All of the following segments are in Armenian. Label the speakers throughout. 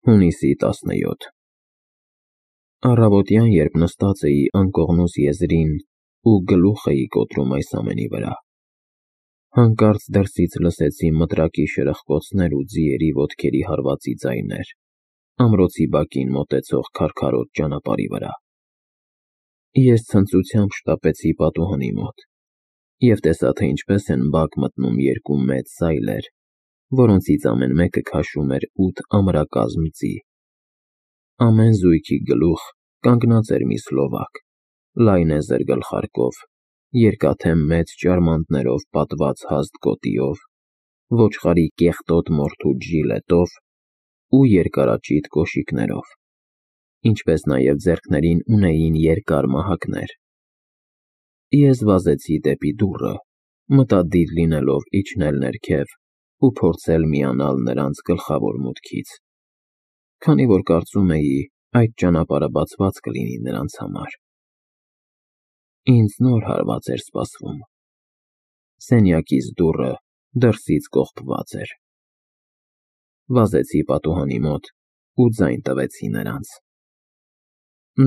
Speaker 1: Հունիսի 17 Առավոտյան, երբ նստած էի անկողնուս եզրին ու գլուխ էի կոտրում այս ամենի վրա, հանկարծ դրսից լսեցի մտրակի շրխկոցներ ու ձիերի ոտքերի հարվածի ձայներ ամրոցի բակին մոտեցող քարքարոտ ճանապարհի վրա։ Ես ցնծությամբ շտապեցի պատուհանի մոտ և տեսա, թե ինչպես են բակ մտնում երկու մեծ սայլեր, որոնցից ամեն մեկը քաշում էր 8 ամրակազմ ձի։ Ամեն զույգի գլուխ կանգնած էր մի սլովակ, լայնեզր գլխարկով, երկաթե մեծ ճարմանտներով պատված հաստ գոտիով, ոչխարի կեղտոտ մորթուց ժիլետով ու երկարաճիտ կոշիկներով, ինչպես նաև ձեռքներին ունեին երկար մահակներ։ Ես վազեցի դեպի դուռը, մտադիր լինելով իջնել ներքև ու փորձել միանալ նրանց գլխավոր մուտքից, քանի որ կարծում էի այդ ճանապարհը բացված կլինի նրանց համար։ Ինձ նոր հարված էր սպասվում։ Սենյակիս դուռը դրսից կողպված էր։ Վազեցի պատուհանի մոտ ու ձայն տվեցի նրանց։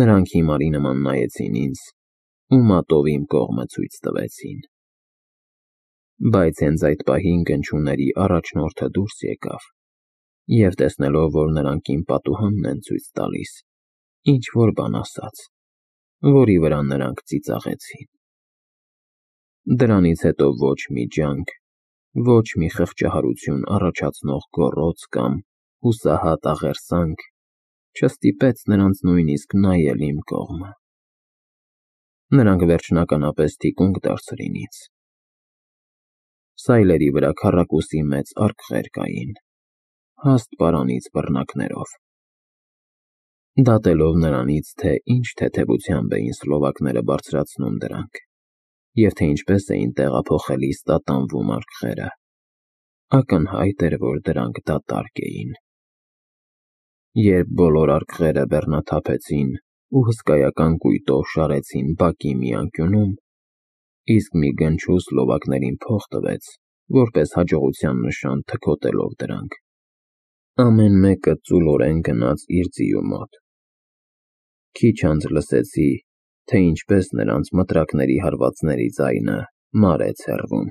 Speaker 1: Նրանք հիմարի նման նայեցին ինձ ու մատով իմ կողմը ցույց տվեցին։ Բայց հենց այդ պահին գնչուների առաջնորդը դուրս եկավ և տեսնելով, որ նրանք իմ պատուհանն են ցույց տալիս, ինչ-որ բան ասաց, որի վրա նրանք ծիծաղեցին։ Դրանից հետո ոչ մի ջանք, ոչ մի խղճահարություն առաջացնող գոռոց կամ հուսահատ աղերսանք չստիպեց նրանց նույնիսկ նայել իմ կողմը։ Նրանք վերջնականապես թիկունք դարձրին ինձ։ Սայլերի վրա քառակուսի մեծ արկղեր կային, հաստ պարանից բռնակներով։ Դատելով նրանից, թե ինչ թեթևությամբ էին սլովակները բարձրացնում դրանք, և թե ինչպես էին տեղափոխել իսկ տատանվում արկղերը, ակնհայտ էր, որ դրանք դատարկ էին։ Երբ բոլոր արկղերը բեռնաթափեցին ու հսկայական կույտով շարեցին բակի մի անկյունում, իսկ մի գնչու սլովակներին փող տվեց, որպես հաջողության նշան թքոտելով դրանք, ամեն մեկը ծուլորեն գնաց իր ձիու մոտ։ Քիչ անց լսեցի, թե ինչպես նրանց մտրակների հարվածների ձայնը մարեց հեռվում։